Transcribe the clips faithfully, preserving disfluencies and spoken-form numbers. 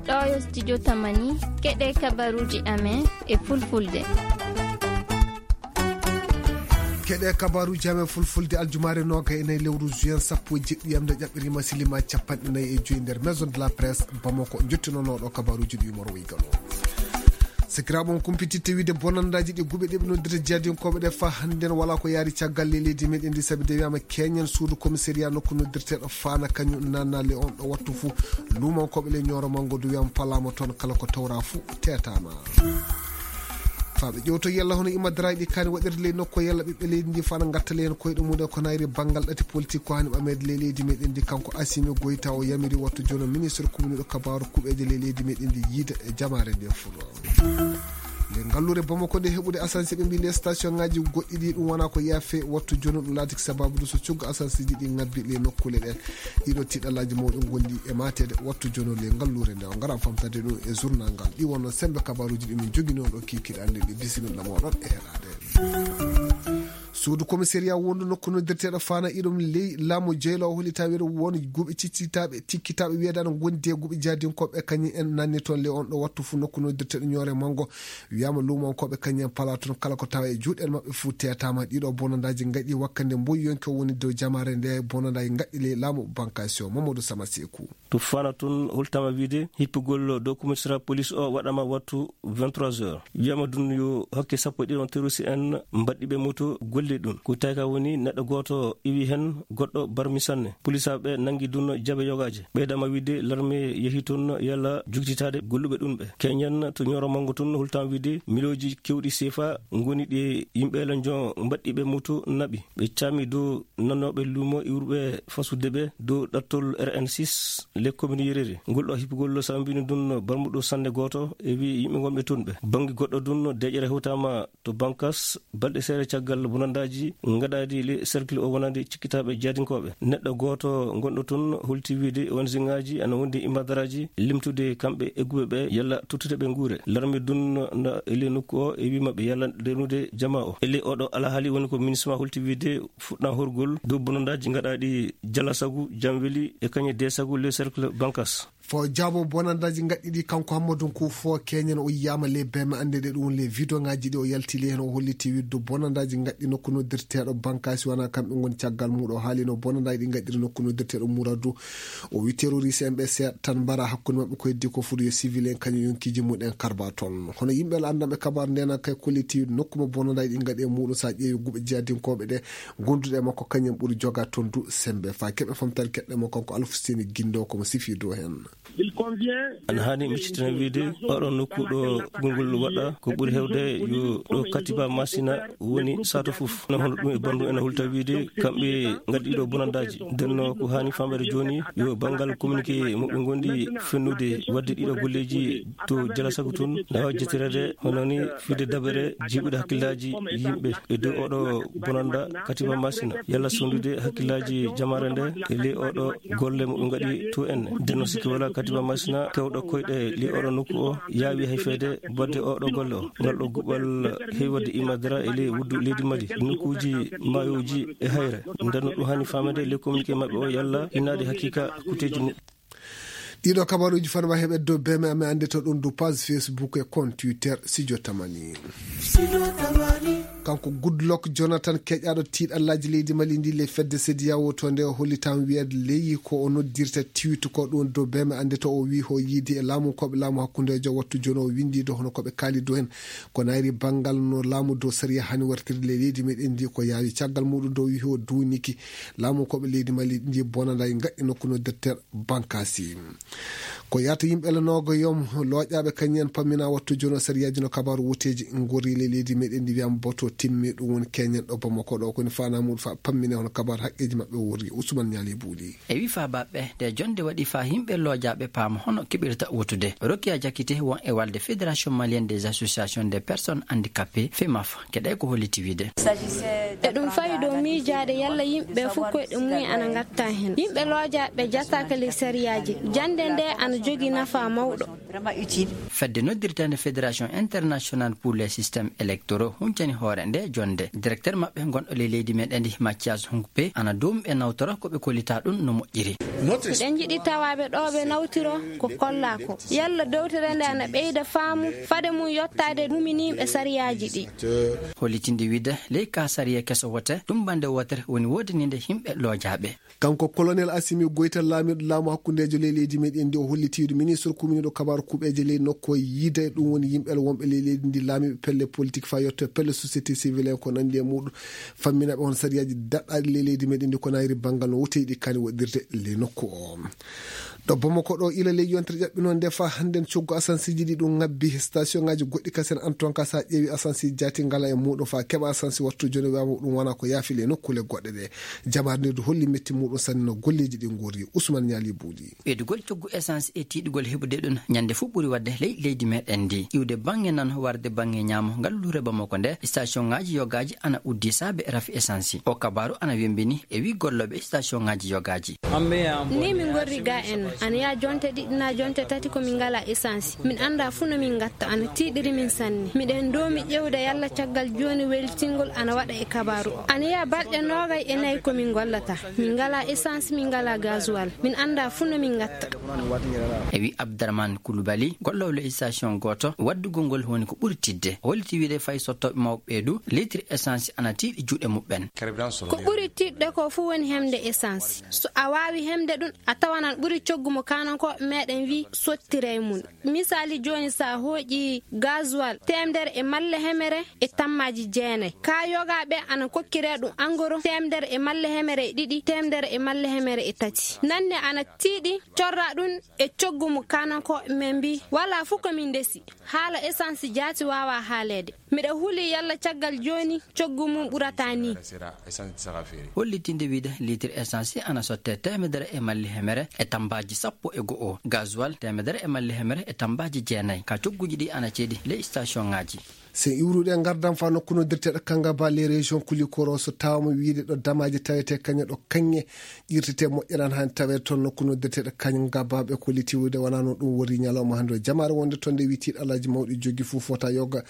Ɗo yo studio Tamani, keɗe kabaruuji amen e fulfulde. Keɗe kabaruuji amen fulfulde aljumaare nooga e nayi lewru juin sappo e jeɗɗi yamde ƴaɓɓirima silima capanɗe nayi e joyi nder Maison de la Presse Bamako. Jottinonooɗo kabaruuji ɗi Umar Weygalo. Sikiraaɓe on kumpititte wiide bonandaaji ɗi guɓe ɗe ɓe noddirta jihadinkooɓe ɗe faa hannde no walaa ko yaari caggal ley leydi meɗen ndi, sabi de wiyaama keñen suudu commissariat nokku noddirteeɗo Faana kañum nanna le on ɗo wattu fuu. Luumankooɓe le Ñooro Manngo du wiyaama palaama toon, kala ko tawraa fuu teetaama. Faa ɓe ƴeewto yalla hono imadaraaji ɗi kaani waɗirde ley nokku yalla ɓiɓɓe leydi ndi faa na ngatta le heen koyɗe mum en ko nayri banngal ɗati politik ko haani ɓameede ley leydi meɗen ndi, kanko Asimi Goyta o yamiri wattu jono ministre kumniiɗo kabaaru kuɓeeje ley leydi meɗen ndi yiida e jamaare nde fuu. Le ngalluure Bamako nde heɓude asansi ɓe mbii le station ngaji goɗɗi ɗi ɗum wona ko yaafe wattu jono ɗum laati ko sababu ɗum so cugga asansiji ɗi ngabbi le nokkuule ɗen. Ɗiɗo tiɗallaaji mawɗi ngondi e mateede wattu jono le ngalluure nde o ngara famtade ɗum e journal ngal. Ɗi wonno sembe kabaruuji ɗi min jogini on ɗo kikiɗe annde ɗi bisimilla moɗon e heɗaade. Suudu commissariat wondu nokku noddirteeɗo Faana iɗum ley laamu jeyla o holli tawi won guɓe ciccitaaɓe, tikkitaaɓe wiyeede ana ngondi e guɓe jahdinkooɓe kañum en nanni toon le on ɗo wattu fuu nokku noddirteeɗo Ñoore Manngo. Wiyaama luumankooɓe kañum en palaa toon kala ko tawa e juuɗe maɓɓe fuu teetaama. Ɗiɗo bonandaaji ngaɗi wakkande mboyi yonki o woni dow jamaare nde bonandaaji ngaɗi ley laamu Bankasi o Mamadou Sama Seeku. To Faana tun holtama wiide hippugol dow commissariat police o waɗama wattu vingt-trois heures. Wiyama dun yo hakke sappo e ɗiɗon terroriste en mbaɗɗi ɓe moto golle ɗun. Ko tawi ka woni neɗɗo gooto iwi hen goɗɗo barmi sanne. Polisaɓe nangi dun jabe yogaje. Ɓeydama wiide larme yehi tun yalla jugtitade golluɓe ɗun ɓe. Keñen to Ñooro Manngo tun holtama wiide milooji kewɗi seefa ngoni ɗi yimɓe lanjo mbaɗɗi ɓe moto naɓi. Ɓe caami dow nannooɓe luumo iwruɓe fasude ɓe dow ɗattol R N six le commune Yerere. Ngol ɗo hippugol sambini dun barmuɗo sannde gooto e wi yimɓe ngonɓe toon ɓe. Bannge goɗɗo dun deƴere hewtama to Bankas balɗe seeɗa caggal bonandaaji ngaɗaaɗi le cercle o wonande cikkitaaɓe jahdinkooɓe. Neɗɗo gooto ngonɗo toon holti wiide O N G ngaji ana wondi imadaraaji limtude kamɓe egguɓe ɓe yalla tottude ɓe nguure. Larme dun na e le nokku o e wi maɓɓe yalla denude jama o. E le oɗo alhaali woni ko MINUSMA holti wiide fuɗɗa horgol dow bonandaaji ngaɗaaɗi jala sagu, jamweli e kañe de sagu le cercle Bankas. Fo jaabo bonandaaji ngaɗɗi ɗi kanko Hammadou Nkou fo keñen o yiyama le beme annde ɗe ɗum le vidéo ngaji ɗi o yaltili heen o holliti widdu bonandaaji ngaɗɗi nokku noddirteeɗo Bankasi wona kamɓe ngoni caggal muuɗo o haalino bonandaaji ɗi ngaɗɗiri nokku noddirteeɗo Mouradou. O wi terroriste en ɓe seeɗa tan mbara hakkunde maɓɓe ko heddi ko foti yo civil en kañum yonkiji mum en karba toon. Hono yimɓe la anndanɓe kabaru ndena kay kolliti nokku mo bonandaaji ɗi ngaɗi e muuɗum sa ƴeewi guɓe jihadinkooɓe ɗe gonduɗe e makko kañum ɓuri joga toon du sembe. Fa keɓe famtare keɗɗe mo kanko Alfuseni Gindo komo sifi dow heen. Ana haani miccitina wiide oɗo nokku ɗo kugol ngol waɗa ko ɓuri hewde yo ɗo Katiba Masina woni sato fof. No hono ɗum e bandu ene hulta wiide kamɓe ngaddi ɗo bonandaaji. Ndenno ko haani famɗere jooni yo banngal communiqué mo ɓe ngondi fennude waɗde ɗiɗo golleeji to jala sago tun na waawi jettirede hono ni fiide dabere jiɓude hakkillaaji yimɓe e dow oɗo bonanda Katiba Masina. Yalla sondude hakkillaaji jamaare nde e ley oɗo golle mo ɓe ngaɗi to enne. Ndenno sikki wala Katiba Masina kewɗo koyɗe ley oɗo nokku o yaawi hay feede badde oɗo golle o. Ngal ɗo guɓal heewi waɗde imadara e ley wuddu leydi Mali, nokkuuji maayoji e hayre. Ndenno ɗum hani famede ley communiqué maɓɓe o yalla innaade haqiqa kuteeji mu- Ɗiɗo kabaruuji fanwa heɓe dow beme amen annde to ɗum du page Facebook e compte Twitter Sijo Tamani. Kanko Goodluck Jonathan keƴaɗo tiiɗallaaji leydi Mali ndi le fedde sediyawo to nde o hollitam wiyede leyi ko o noddirta tiwitu ko ɗum dow beme annde to o wi ho yiidi e laamu koɓe laamu hakkundejo wattu jono o windi do hono koɓe kaali dow hen. Ko nayri banngal no laamu dow sariya hani wartirde ley leydi meɗen ndi ko yaawi caggal muɗum dow wiho duuniki laamu koɓe leydi Mali ndi bonanday ngaɗɗi nokku noddirter Bankasi. Ko yahata yimɓe lanoogo yom looƴaaɓe kañum en pammina wattu jono sariyaaji no kabaaru wuteeji ngorri ley leydi meɗen ndi wiyama boto timmi ɗum woni keñen ɗo Bamako ɗo koni fana muɗum fa pammine hono kabaaru haqqeeji maɓɓe worri Ousmane Ñaali Buuli. E wi fa baɓɓe nde jonde waɗi fa yimɓe looƴaaɓe paama hono keɓirta wotude. Rokia Jakite won e walde Fédération Malienne des Associations des Personnes Handicapées, femaf, keɗe ko holliti wiide. E ɗum fawi dow miijaade yalla yimɓe fof koyɗe mumen ana ngatta heen. Yimɓe looƴaaɓe jataaka ley sariyaaji. Jannde nde ana jogii nafaa mawɗo. Fedde noddirteende Fédération Internationale pour les Systèmes Électoraux huncani hoore nde jonnde. Directeur maɓɓe gonɗo ley leydi meɗen ndi, Mathias Hunkpe, ana doomi ɓe nawtora ko ɓe kollitaa ɗum no moƴƴiri. Miɗen njiɗi tawaaɓe ɗo ɓe nawtiro ko kollaa ko. Yalla dowtere nde ana ɓeyda faamu fade mum yottaade huminiiɓe sariyaaji ɗi. Hollitinde wiide ley ka sariya keso wote, ɗum bannde wootere woni woodaniinde yimɓe loojaaɓe. Kanko Colonel Assimi Goïta, laamiiɗo laamu hakkundeejo ley leydi meɗen ndi, o holliti wiide ministre kuminiiɗo kabaaru kuɓeeje ley nokku o yiida e ɗum woni yimɓe wonɓe ley leydi ndi, laamiiɓe pelle politique faa yotto e pelle société civile en ko nanndi e muɗum, fammina ɓe hono sariyaaji daɗɗaaɗi ley leydi meɗen ndi ko nayri banngal no woteyɗi kani waɗirde ley nokku o. Ɗo Bamako ɗo ila ley yontere ƴaɓɓi noon nde faa hannden coggu asansiiji ɗi ɗum ŋabbi, station ŋaaji goɗɗi kasen an toon ka sa ƴeewi asansiiji jaati ngala e muɗum faa keɓa asansi wattu jooni wawa ɗum wona ko yaafi ley nokkuule goɗɗe ɗe. Jamarnirdu holli metti muɗum sanne no golleeji ɗi nguuri. Usman Ñaali Buuɗi. Ɓeydugol coggu essence e tiiɗugol heɓude ɗum ñande fof ɓuri waɗde ley leydi meɗen ndi. Iwde baŋŋe nano warde baŋŋe ñaamo ngalluure Bamako nde, station ŋaaji yogaaji ana uddi saabe rafi essence. O kabaaru ana wembini e wi gollooɓe station ŋaaji yogaaji. Ni min ngorri ga en, ana yaa jonte ɗiɗi na jonte tati ko min ngala essence. Min annda fuu no min ngatta, ana tiiɗiri min sanne. Miɗen doomi ƴeewde yalla caggal jooni weltingol ana waɗa e kabaaru o. Ana yaa balɗe noogay e nayi ko min ngollata. Min ngala essence, min ngala gasoil. Min annda fuu no min ngatta. E wi Abdarahmane Koulibaly, golloowo ley station gooto, waɗdugol ngol woni ko ɓuri tiiɗde. O holliti wiide fay sottooɓe mawɓe ɓee du, litre essence ana tiiɗi juuɗe muɓɓen. Ko ɓuri tiiɗde ko fuu woni heɓde essence. So a waawi heɓde ɗum, a tawan ana ɓuri coggu mo kaanankooɓe meɗen wi sottiree mum. Misaali jooni, so a hooƴi gasoil teemedere e malle hemere e tammaaji jeenay. Ka yogaaɓe ana kokkiree ɗum angoro teemedere e malle hemere e ɗiɗi, teemedere e malle hemere e tati. Nanne ana tiiɗi corra ɗum e coggu mo kaanankooɓe men mbi, walaa fuu ko min ndesi. Haala essence jaati waawaa haaleede. Miɗa huli yalla caggal jooni coggu mum ɓurata ni. Hollitinde wiide litre essence ana sotte teemedere e malli hemere e tambaaji sappo e go'o, gasoil teemedere e malli hemere e tambaaji jeenay. Ka cogguuji ɗi ana ceedi ley station ŋaaji. Sen iwrude e ngardam faa nokku noddirteeɗo Kangaba, les régions Koulikoro, so tawaama wiide ɗo damaaji tawetee kañe ɗo kañe ƴirtetee moƴƴere ana haani taweede toon nokku noddirteeɗo Kangaba, ɓe kolliti wiide wonaa noon ɗum woni ñalawma hannde o. Jamaare wonde toon nde wi tiiɗalaaji mawɗi jogii fuu fota yoga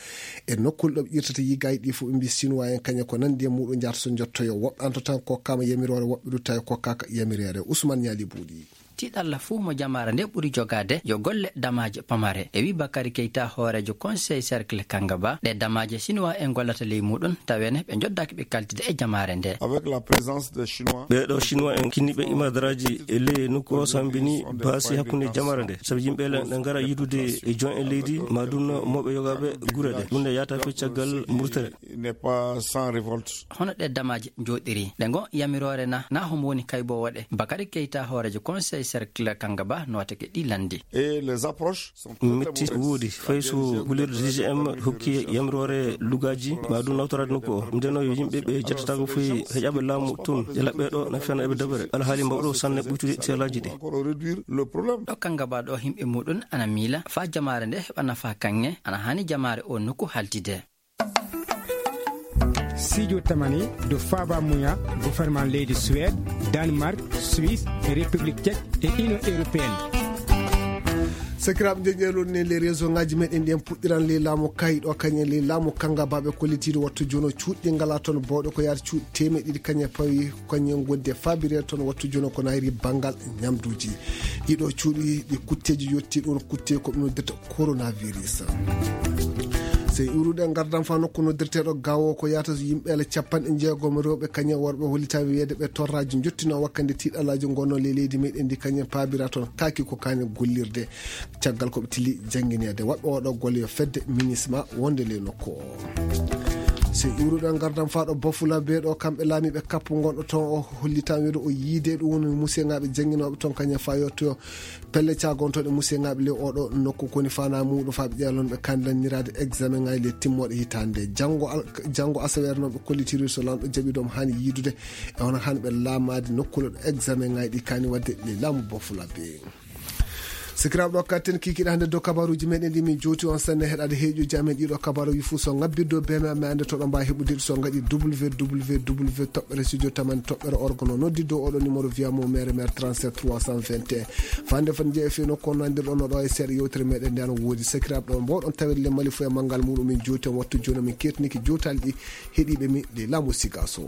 e nokkuule ɗo ɓe ƴirtata yigaaji ɗi fof ɓe mbi Sinuwaa en kañe ko nanndi e muɗum njaata so njottoyo. Woɓɓe antotan kokkaama yamiroore, woɓɓe du tawi kokkaaka yamiroore. Usman Ñaali Buuɗi. Tiiɗalla fuu mo jamaare nde ɓuri jogaade yo golle damaaje pamare. E wi Bakary Keita, hooreejo Conseil Cercle Kangaba, ɗe damaaje Sinuwaa en gollata ley muɗum, taweene ɓe njoddaaki ɓe kaltide e jamaare nde. Avec la présence des Chinois. Ɓee ɗoo Sinuwaa en kinniiɓe imadaraaji e ley nokku o sambini baasi hakkunde jamaare nde. Sabu yimɓe le-, ne ngara yidude e jon en leydi, ma ɗum no mawɓe yogaaɓe gure ɗe. Ɗum ne yaata fii caggal murtere. Il n'est pas sans révolte. Hono ɗe damaaje njooɗiri? Ɗe ngo yamiroore na, na homo woni kayboowo ɗe? Bakary Keita, hooreejo Conseil Cercle Kangaba, nootake ɗi lanndi. Et les approches sont très, très mauvaises. Metti woodi, fay so gollirɗo D G M hokki yamiroore lugaaji, ma ɗum nawtoraade nokku o. Ndeno yo yimɓe ɓe jettataako fof heƴaaɓe laamu toon, ƴela ɓee ɗoo na fena eɓe dabere. Alhaali mbawɗo sanne ɓuytude teelaaji ɗi. Encore réduire le problème. Ɗo Kangaba ɗo yimɓe muɗum ana miila faa jamaare nde heɓa nafaa kaŋŋe, ana haani jamaare o nokku haltide. Sijo tamani do faba muya gouvernement leydi Suède, Danemark, Suisse, e République Tchèque e Union Européenne. Sakiraaɓe, nde ƴeewɗon ne les réseau ngaji meɗen ɗi en puɗɗiran ley laamu kayi ɗo kañum en ley laamu Kangaba ɓe kollitiiɗo wattu jono cuuɗi ngala toon bawɗe ko yaata cuuɗi teemeɗe ɗiɗi kañum e pawi kañum en gondi e fabirere toon wattu jono ko nayri banngal ñamduuji. Ɗiɗo cuuɗi ɗi kutteeji yotti ɗon kutte ko ɓe noddirta coronavirus. Sey iwrude ngardam fa nokku noddirteeɗo gawo ko yaata yimɓe ala capanɗe jeegom rewɓe kañum e worɓe hollitaɓe wiyeede ɓe torraji jottino wakkande tiiɗalaji gonno ley leydi meɗen ndi kañum paabira toon kaaki ko kañum gollirde. Caggal ko ɓe tili janngineede waɗɓe oɗo golle yo fedde minisma wonde ley nokku o. Sey iwruɗo ngardam fa ɗo Bafula be ɗo kamɓe laamiiɓe kappu gonɗo toon o hollitaama wiyeede o yiide ɗum woni musiyŋaaɓe jannginooɓe toon kañum fa yottoyo. Pelle caagontoɗe musiyŋaaɓe ley oɗo nokku koni fana muɗum fa ɓe ƴeewlon ɓe kandidanniraade examen ŋaaji ley timmooɗe hitaande nde. Janngo al-, janngo asaweere noon ɓe kollitiri so lanɗo jaɓi ɗum haani yiidude e hono haani ɓe laamaade nokkuule ɗo examen ŋaaji ɗi kaani waɗde ley laamu Bafula be. Sikiraaɓe, ɗo katten kikiɗe hannde dow kabaruuji meɗen ɗi min jowti on sanne heɗade heeƴuji amen ɗiɗo kabaruuji fuu. So ngabbirde o beme amen annde to ɗo mbaawi heɓude ɗi so ngaɗi www toɓɓere studio tamani toɓɓere org no noddi dow oɗo numéro via mo mere mere trente-sept trois cent vingt et un. Fande fan jeeya fii nokku on nandirɗon no ɗo e seeɗa yewtere meɗen nde an woodi. Sikiraaɓe, ɗo mbawɗon tawede le Mali fuu e manngal muɗum min jowti on wattu jooni min kettiniki jowtaali ɗi heɗiiɓe mi le laamu siga so.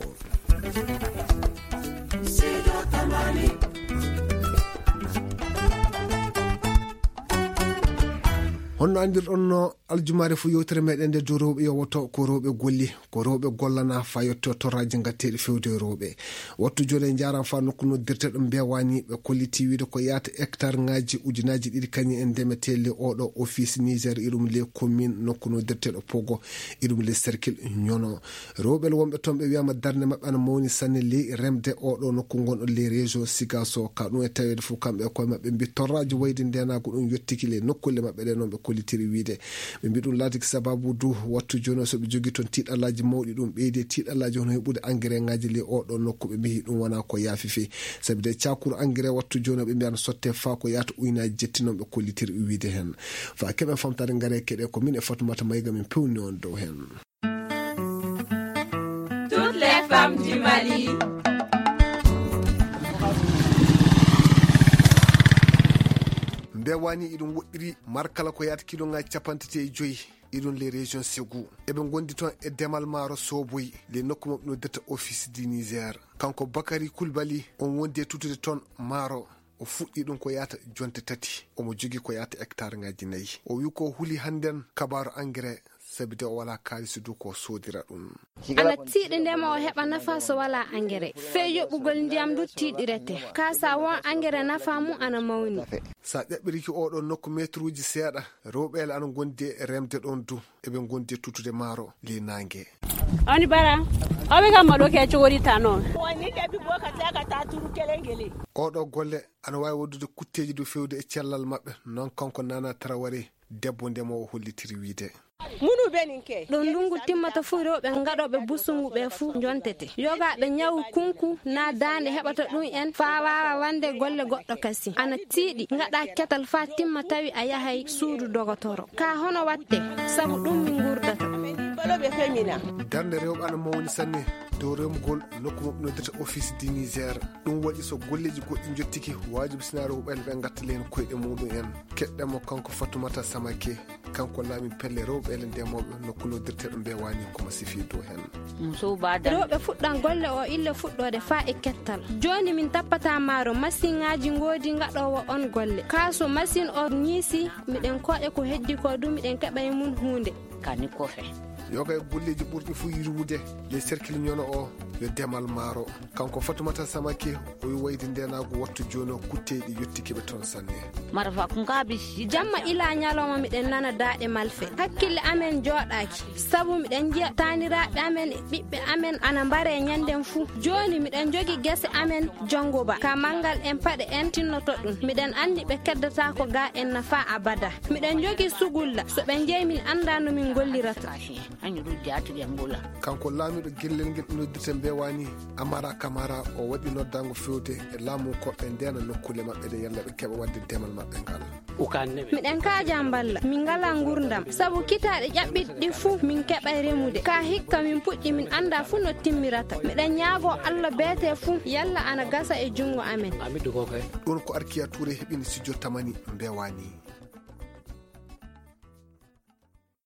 Honno anndirɗon no aljumaare fuu yewtere meɗen nde dow rewɓe yowoto ko rewɓe golli, ko rewɓe gollana faa yetto torraaji ngatteeɗi fewde e rewɓe. Wattu jooni en njaaraama faa nokku noddirteeɗo Mbewani, ɓe kolliti wiide ko yahata hectare ŋaaji ujunaaji ɗiɗi kañum en ndemetee le oɗo office Niger iɗum le commune nokku noddirteeɗo Pogo iɗum le cercle Ñono. Rewɓe wonɓe toon ɓe wiyaama darnde maɓɓe ana mawni sanne ley remde oɗo nokku ngonɗo ley région Sigaso. Ka ɗum e taweede fof kamɓe e koye maɓɓe mbi torraaji wayde ndeenaagu ɗum yottiki ley nokkulle maɓɓe ɗe noon ɓe kollitiri wiide. Ɓe mbi ɗum laatiki sababu du wattu jooni o so ɓe jogii toon tiiɗallaaji mawɗi ɗum ɓeydi e tiiɗallaaji hono heɓude engrais ŋaaji ley oɗo nokku ɓe mbi ɗum wonaa ko yaafi fii. Sabi de cakuru engrais wattu jooni o ɓe mbi ana sotte faa ko yahata ujunaaji jetti noon ɓe kollitiri wiide heen. Faa keɓen famtaade ngare keɗe ko min e Fatumata Mayga min pewni on dow heen. Toutes les femmes du Mali. Mbewani iɗum woɗɗiri markala ko yahata kiloŋaaji capanɗe tati e joyi iɗum ley région Ségou. Eɓe ngondi toon e demal maaro Soboy ley nokku maɓɓe noddirta office du Niger. Kanko Bakari Kulbali on wondi e tutude toon maaro. O fuɗɗi ɗum ko yahata jonte tati. Omo jogii ko yahata hectare ŋaaji nayi. O wi ko huli hannden kabaaru engrais sabi de o walaa kaalisi du ko soodira ɗum. Ana tiiɗi ndema o heɓa nafa so walaa engrais. Fee yoɓugol ndiyam du tiiɗirete. Kaa sa won engrais nafa mum ana mawni. Sa ƴaɓɓiriki oɗo nokku meetruuji seeɗa, rewɓe ana ngondi e remde ɗon du. Eɓe ngondi e tutude maaro ley naange. Oni bara, oɓe kam maɗo ke cogori tano. Woni debi boka teka ta turu kelengele. Oɗo golle ana waawi waɗude kutteeji du fewde e cellal maɓɓe, noon kanko Nana Traoré, debbo ndemoowo hollitiri wiide. Munu benin ke. Ɗo ndungu timmata fuu, rewɓe ngaɗooɓe busungu ɓe fuu njontete. Yogaaɓe ñawu kunku naa daande heɓata ɗum en faa waawa wande golle goɗɗo kasi. Ana tiiɗi, ngaɗa ketal faa timma tawi a yahay suudu dogotoro. Ka hono watte, sabu ɗum min ngurdata. Darnde rewɓe ana mawni sanne dow remugol nokku maɓɓe noddirta Office du Niger. Ɗum waɗi so golleeji goɗɗi njottiki, waajibi sinaa rewɓe ɓe ngatta leen koyɗe muɗum en. Keɗɗen mo kanko Fatumata Samake, kanko laami pelle rewɓe e ndemooɓe nokku noddirteeɗo Mbewani ko mo sifi dow heen. Rewɓe fuɗɗan golle o ille fuɗɗoode faa e kettal. Jooni min tappataa maaro, masiŋaaji ngoodi ngaɗoowo on golle. Kaa so masiŋ o ñiisi, miɗen kooƴa ko heddi ko du, miɗen keɓa e mun huunde. Kani kofe. Yoga e golleeji ɓurɗi fuu yirwude ley cercle ñono o yo demal maaro. Kanko Fatumata Samake, o wi wayde ndeenaagu wattu jooni o kutteeɗi yottiki ɓe toon sanne. Mara fa kun ka bi si jamma ila ñalawma miɗen nana daaɗe malfe. Hakkille amen jooɗaaki. Sabu miɗen njiya taaniraaɓe amen e ɓiɓɓe amen ana mbare ñanden fuu. Jooni miɗen jogi gese amen jonngo ba. Ka manngal en paɗe en tinnoto ɗum. Miɗen anndi ɓe keddataako ga en nafa abada. Miɗen jogi sugulla. So ɓe njeyi min annda no min ngollirata. Kanko laamiiɗo gellel ngel noddirte Mbewani, Amara Kamara, o waɗi noddaango fewde e laamu ko ɓe ndeena nokkuule maɓɓe ɗe yalla ɓe keɓa waɗde demal maɓɓe ngal. Miɗen kaaja mballa, min ngalaa ngurdam, sabu kitaaɗe ƴaɓɓiɗi ɗi fuu min keɓay remude. Ka hikka min puɗɗi min annda fuu no timmirata. Miɗen ñaagoo Alla beete fuu yalla ana gasa e junngo amen. Ɗum ko Arkiya Tuure heɓini studio Tamani Mbewani.